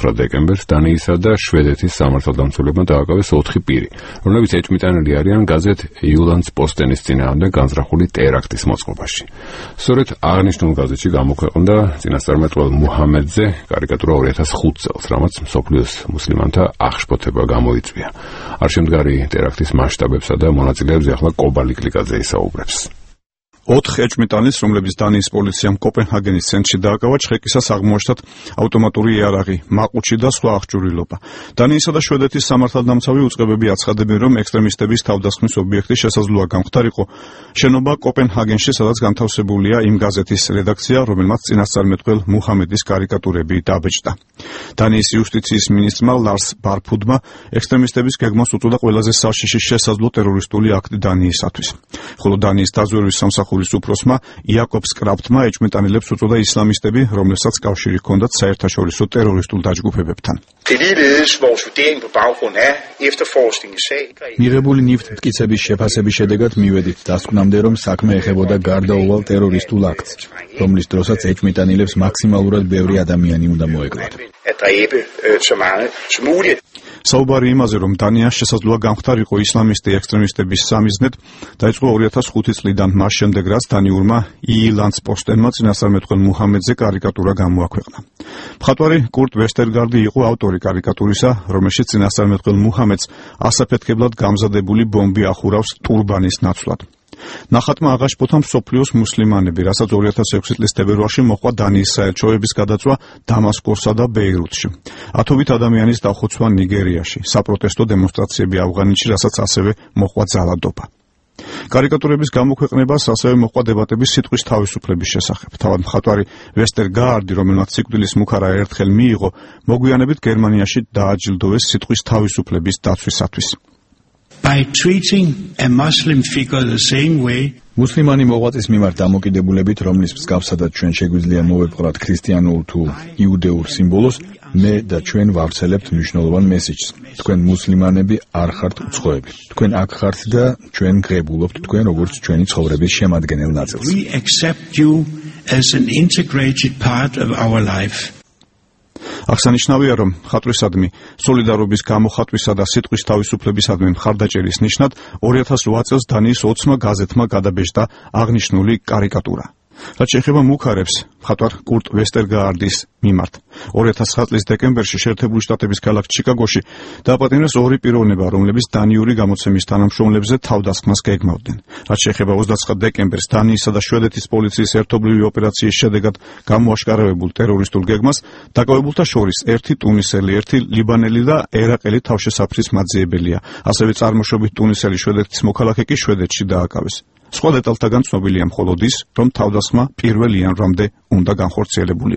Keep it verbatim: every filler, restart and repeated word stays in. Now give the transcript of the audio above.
მეცხრე დეკემბერს დანიისა და შვედეთის სამართალდამცველებმა დააკავეს ოთხი პირი, რომლებიც ეჭვმიტანილი არიან გაზეთ Jyllands-Postenis წინააღმდეგ განზრახული ტერაქტის მოწყობაში. სწორედ აღნიშნულ გაზეთში გამოქვეყნდა წინასწარმეტყველ მუჰამედზე კარიკატურა ორი ათას ხუთი წელს, რამაც მსოფლიოს მუსლიმანთა აღშფოთება გამოიწვია. არშემდგარი ტერაქტის მასშტაბებსა და მონაწილეებზე ახლა კობალი კლიკაძე ისაუბრებს. ოთხ ეჭვმიტანის, რომლებიც დანიის პოლიციამ კოპენჰაგენის ცენტრში დააკავა, ჩხეკისას აღმოაჩნდათ ავტომატური იარაღი, მაყუჩი და სხვა აღჭურვილობა. დანიისა და შვედეთის სამართალდამცავი უწყებები აცხადებენ, რომ ექსტრემისტების თავდასხმის ობიექტი შესაძლოა გამختارიყო შენობა კოპენჰაგენში, სადაც განთავსებულია იმ გაზეთის რედაქცია, რომელმაც წინასწარმეტყველ მუჰამედის კარიკატურები დაბეჭდა. დანიის იუსტიციის მინისტრმა ლარს ბარფუდმა ექსტრემისტების გეგმას უწოდა ყველაზე საშიში შესაძლო ტერორისტული აქტი დანიისათვის. ხოლო დანიის დაზვერვის სამსახურის უფროსმა იაკობს კრაფტმა ეჭვმიტანილებს უწოდა ისლამისტები, რომლებსაც კავშირი ჰქონდათ საერთაშორისო ტერორისტულ დაჯგუფებებთან. მიღებული ნივთი მტკიცების შეფასების შედეგად მივედით დასკვნამდე, რომ საქმე ეხებოდა გარდაუვალ ტერორისტულ აქტს, რომლის დროსაც ეჭვმიტანილებს მაქსიმალურად ბევრი ადამიანი უნდა მოეკლათ. საუბარი იმაზე, რომ დანია შესაძლოა გამختارიყო ისლამისტი ექსტრემისტების სამიზნედ, დაიწყო ორი ათას ხუთი წლიდან, მას შემდეგ რაც დანიურმა Jyllands-Postenმა წინასწარმეტყველ მუჰამედზე კარიკატურა გამოაქვეყნა. მხატვარი კურტ ვესტერგარდი იყო ავტორი კარიკატურისა, რომელშიც წინასწარმეტყველ მუჰამედს ასაფეთქებლად გამზადებული ბომბი ახურავს ტურბანის ნაცვლად. ნახატმა აღაშფოთა მსოფლიოს მუსლიმანები, რასაც ორი ათას ექვსი წლის თებერვალში მოჰყვა დანიის საელჩოების გადაწვა დამასკოსსა და ბეირუთში. ათობით ადამიანის დახოცვა ნიგერიაში, საპროტესტო დემონსტრაციები ავღანეთში, რასაც ასევე მოჰყვა ძალადობა. კარიკატურების გამოქვეყნებას ასევე მოჰყვა დებატები სიტყვის თავისუფლების შესახებ. თავად მხატვარი ვესტერგარდი, რომელმაც სიკვდილის მუქარა ერთხელ მიიღო, მოგვიანებით გერმანიაში დააჯილდოვეს სიტყვის თავისუფლების დაცვისათვის. By treating a Muslim figure the same way, მუსლიმანი მოღვაწის მიმართ დამოკიდებულებით, რომლის მსგავსადაც ჩვენ შეგვიძლია მოვეპყრათ ქრისტიანულ თუ იუდეურ სიმბოლოს, მე და ჩვენ ვავრცელებთ მნიშვნელოვან მესიჯს. თქვენ მუსლიმანები არ ხართ უცხოები. თქვენ აქ ხართ და ჩვენ გღებულობთ თქვენ როგორც ჩვენი ცხოვრების შემადგენელ ნაწილს. we accept you as an integrated part of our life. აღსანიშნავია, რომ მხატვრისადმი სოლიდარობის გამოხატვისა და სიტყვის თავისუფლებისადმი მხარდაჭერის ნიშნად ორი ათას ოთხ წელს დანიის ოცმა გაზეთმა გადაბეჭდა აღნიშნული კარიკატურა. რაც შეეხება მუქარებს, მხატვარ კურტ ვესტერგარდის მიმართ. ორი ათას ცხრა წლის დეკემბერში შეერთებული შტატების ქალაქ ჩიკაგოში დააპატიმრეს ორი პიროვნება, რომლებიც დანიური გამოცემის თანამშრომლებზე თავდასხმას გეგმავდნენ. რაც შეეხება ოცდაცხრა დეკემბერს დანიისა და შვედეთის პოლიციის ერთობლივი ოპერაციის შედეგად გამოაშკარავებულ ტერორისტულ გეგმას, დაკავებულთა შორის ერთი ტუნისელი, ერთი ლიბანელი და ერაყელი თავშესაფრის მაძიებელია. ასევე წარმოშობით ტუნისელი შვედეთის მოქალაქე კი შვედეთში დააკავეს. სხვა დეტალთაგან ცნობილია მხოლოდ ის, რომ თავდასხმა პირველ იანვრამდე უნდა განხორციელებულიყო.